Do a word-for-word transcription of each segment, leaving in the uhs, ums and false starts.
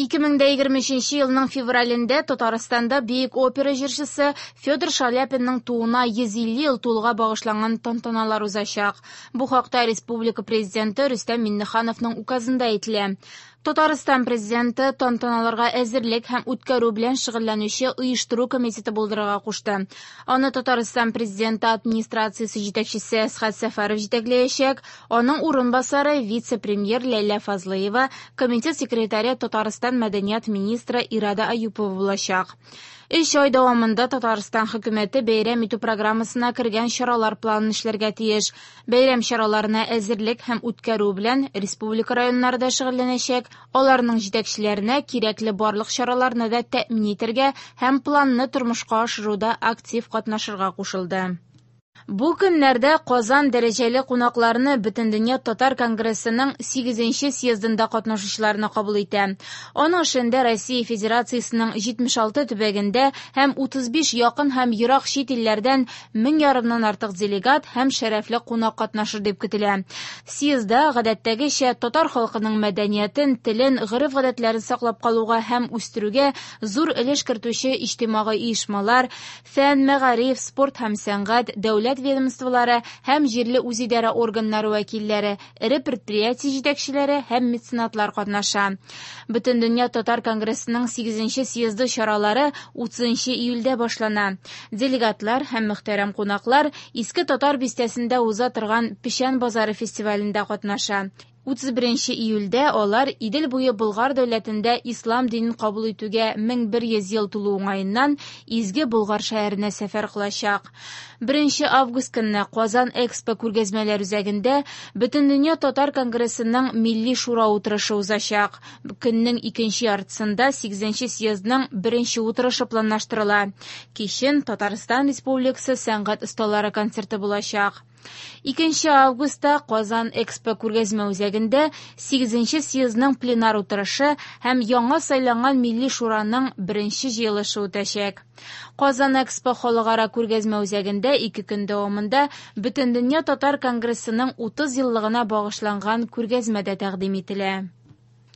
ике мең дә егерме өченче елның февралендә Татарстанда бөек опера җырчысы Федор Шаляпинның тууына йөз илле ел тулуга багышланган тантаналар узачак. Бу хакта республика президенты Рөстәм Миңнехановның указында әйтелә. Татарстан президенты тантаналарга әзерлек һәм үткәрү белән шөгыльләнүче оештыру комитеты булдырырга кушты. Аны Татарстан президенты администрациясе җитәкчесе Әсхәт Сәфәров җитәкләячәк. Аның урынбасары вице-премьер Ләйлә Фазлыева, комитет секретаре Татарстан мәдәният министры Ирада Аюпова булачак. Өч ай дәвамында Татарстан хөкүмәте бәйрәм итү программасына кергән чаралар планын эшләргә тиеш. Бәйрәм чараларына әзерлек һәм үткәрү белән республика районнары да шөгыльләнәчәк. Аларның җитәкчеләренә кирәкле барлык чараларны да тәэмин итәргә һәм планны тормышка ашыруда актив катнашырга кушылды. Бу көннәрдә Казан дәрәҗәле кунакларны Бөтендөнья татар конгрессының сигезенче съездында катнашучыларны кабул итә. Аның эшендә Россия Федерациясенең җитмеш алты төбәгендә һәм утыз биш якын һәм ерак чит илләрдән мең ярымнан артык делегат һәм шәрәфле кунак катнашыр дип көтелә. Съездда гадәттәгечә татар халкының мәдәниятен, телен, гореф-гадәтләрен саклап калуга һәм үстерүгә зур өлеш кертүче иҗтимагый оешмалар, фән, мәгариф, спорт һәм сәнгать, дәүләт ведомстволары һәм җирле үзидарә органнары вәкилләре, эре предприятие җитәкчеләре һәм меценатлар катнаша. Бөтендөнья татар конгрессының сигезенче съезды чаралары утызынчы июльдә башлана. Делегатлар һәм мөхтәрәм кунаклар Иске Татар бистәсендә уза торган Печән базары фестивалендә катнаша. Утыз беренче июльдә алар Идел буе Болгар дәүләтендә ислам динен кабул итүгә мең бер йөз ел тулу уңаеннан Изге Болгар шәһәренә сәфәр кылачак. Беренче август көнне Казан Экспо күргәзмәләр үзәгендә Бөтендөнья татар конгрессының Милли шура утырышы узачак. Көннең икенче яртысында сигезенче съездның беренче утырышы планлаштырыла. Кичен Татарстан Республикасы сәнгать осталары концерты булачак. Икенче августта Казан Экспо күргәзмә үзәгендә сигезенче съездның пленар утырышы һәм яңа сайланган Милли шураның беренче җыелышы үтәчәк. Казан Экспо халыкара күргәзмә үзәгендә ике көн дәвамында Бөтендөнья татар конгрессының утыз еллыгына багышланган күргәзмә дә тәкъдим ителә.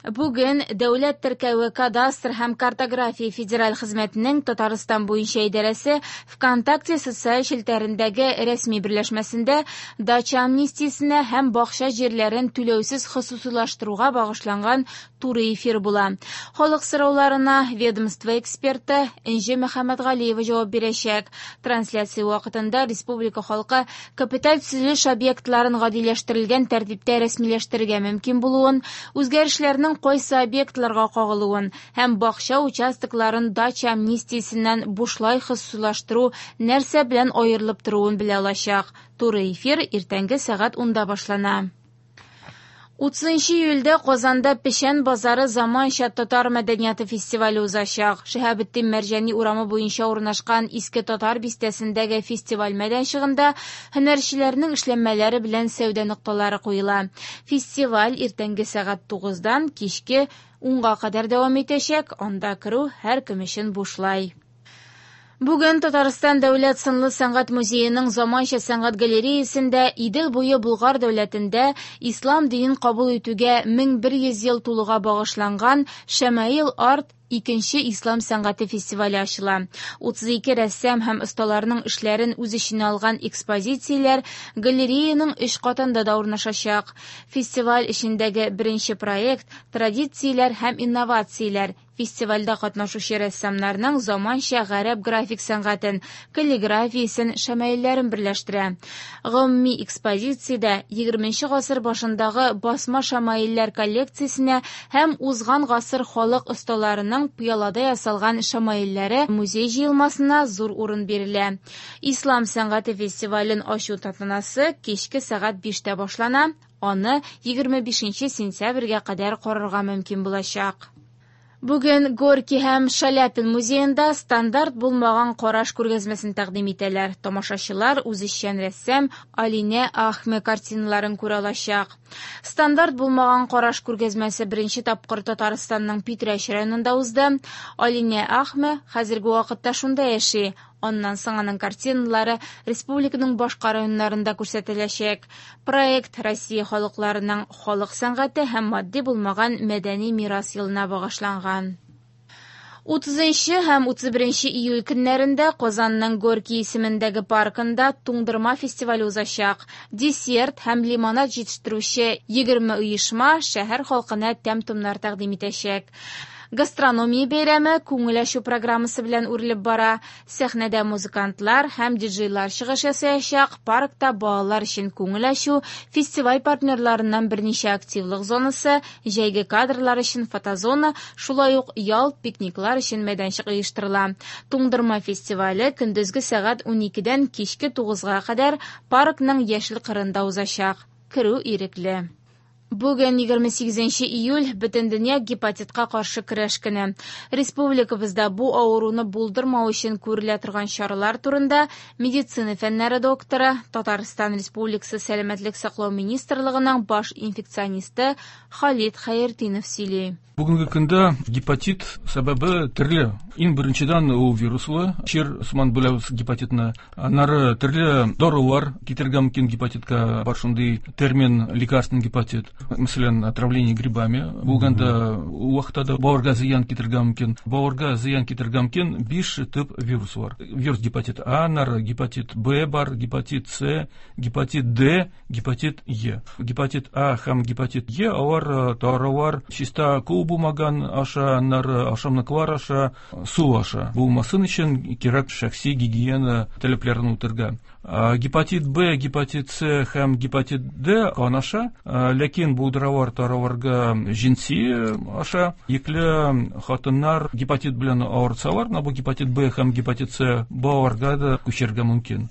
Бүген Дәүләт теркәве кадастр һәм картография федераль хезмәтенең Татарстан буенча идарәсе ВКонтакте социаль челтәрендәге рәсми берләшмәсендә дача амнистиясенә һәм бакча җирләрен түләүсез хосусыйлаштыруга багышланган туры эфир була. Халык сорауларына ведомство эксперты Энҗе Мөхәммәтгалиева җавап бирәчәк. Трансляция вакытында республика халкы капиталь төзелеш объектларын гадиләштерелгән тәртиптә рәсмиләштерергә мөмкин булуын, үзгәрешләрнең кайсы объектларга кагылуын һәм бакча участокларын дача амнистиясеннән бушлай хосусыйлаштыру нәрсә белән аерылып торуын белә алачак. Туры эфир иртәнге сәгать унда башлана. Утызынчы июльдә Казанда Печән базары заманча татар мәдәнияте фестивале узачак. Шиһабетдин Мәрҗани урамы буенча урнашкан Иске Татар бистәсендәге фестиваль мәйданчыгында һөнәрчеләрнең эшләнмәләре белән сәүдә нокталары куела. Фестиваль иртәнге сәгать тугыздан кичке унга кадәр дәвам итәчәк. Анда керү һәркем өчен бушлай. Бүген Татарстан Дәүләт сынлы сәнгать музееның заманча сәнгать галереясендә Идел буе Болгар дәүләтендә ислам динен кабул итүгә мең бер йөз ел тулуга багышланган Шәмаил арт икенче ислам сәнгате фестивале ачыла. Утыз ике рәссам һәм осталарның эшләрен үз эченә алган экспозицияләр галереяның өч катында да урнашачак. Фестиваль эчендәге беренче проект традицияләр һәм инновацияләр. Фестивальдә катнашучы рәссамнарның заманча гарәп график сәнгатен, каллиграфиясен, шәмаилләрен берләштерә. Гомуми экспозициядә егерменче гасыр башындагы басма шәмаилләр коллекциясенә һәм узган гасыр халык осталарының пыялада ясалган шәмаилләре музей җыелмасына зур урын бирелә. Ислам сәнгате фестивален ачу тантанасы кичке сәгать биштә башлана. Аны егерме бишенче сентябрьгә кадәр карарга мөмкин булачак. Бүген Горький һәм Шаляпин музеенда стандарт булмаган караш күргәзмәсен тәкъдим итәләр. Тамашачылар үзешчән рәссам Алинә Ахме картиналарын күрә алачак. Стандарт булмаган караш күргәзмәсе беренче тапкыр Татарстанның Питрәч районында узды. Алинә Ахме хәзерге вакытта шунда яши. Аннан соң аның картиналары республиканың башка районнарында күрсәтеләчәк. Проект Россия халыкларының халык сәнгате һәм матди булмаган мәдәни мирас елына багышланган. Утызынчы һәм утыз беренче июль көннәрендә Казанның Горький исемендәге паркында туңдырма фестивале узачак. Десерт һәм лимонад җитештерүче егерме оешма шәһәр халкына тәм-томнар тәкъдим итәчәк. Гастрономия бәйрәме күңел ачу программасы белән үрелеп бара. Сәхнәдә музыкантлар һәм диджейлар чыгыш ясаячак. Паркта балалар өчен күңел ачу, фестиваль партнерларыннан берничә активлык зонасы, җәйге кадрлар өчен фотозона, шулай ук ял, пикниклар өчен мәйданчык оештырыла. Туңдырма фестивале көндезге сәгать уникедән кичке тугызга кадәр паркның яшел кырында узачак. Керү ирекле. Бүген егерме сигезенче июль Бөтендөнья гепатитка каршы көрәш көне. Республикабызда бу авыруны булдырмау өчен күрелә торган чаралар турында медицина фәннәре докторы, Татарстан Республикасы Сәламәтлек саклау министрлыгының баш инфекционисты Халит Хәйретдинов сөйли. Бүгенге көндә гепатит сәбәбе төрле. Иң беренчедән ул вируслы чир, сыман бүләбез гепатитны. Аннары төрле дарулар китергә мөмкин гепатитка, бар шундый термин лекарственный гепатит. Мәсәлән, отравление грибами булганда ул вакытта да бавырга зыян китергә мөмкин. Бавырга зыян китергә мөмкин биш төп вирус бар. Вирус гепатит А, аннары гепатит Б бар, гепатит С, гепатит Д, гепатит Е. Гепатит А һәм гепатит Е алар таралар чиста кул булмаган аша, аннары ашамлыклар аша, су аша. Булмасын өчен кирәк шәхси гигиена таләпләрен үтәргә. Гепатит Б, гепатит С һәм гепатит Д кан аша, ләкин булдыралар тараларга җенси аша. Йөкле хатыннар гепатит белән авырсалар, менә бу гепатит Б һәм гепатит С балаларга да күчәргә мөмкин.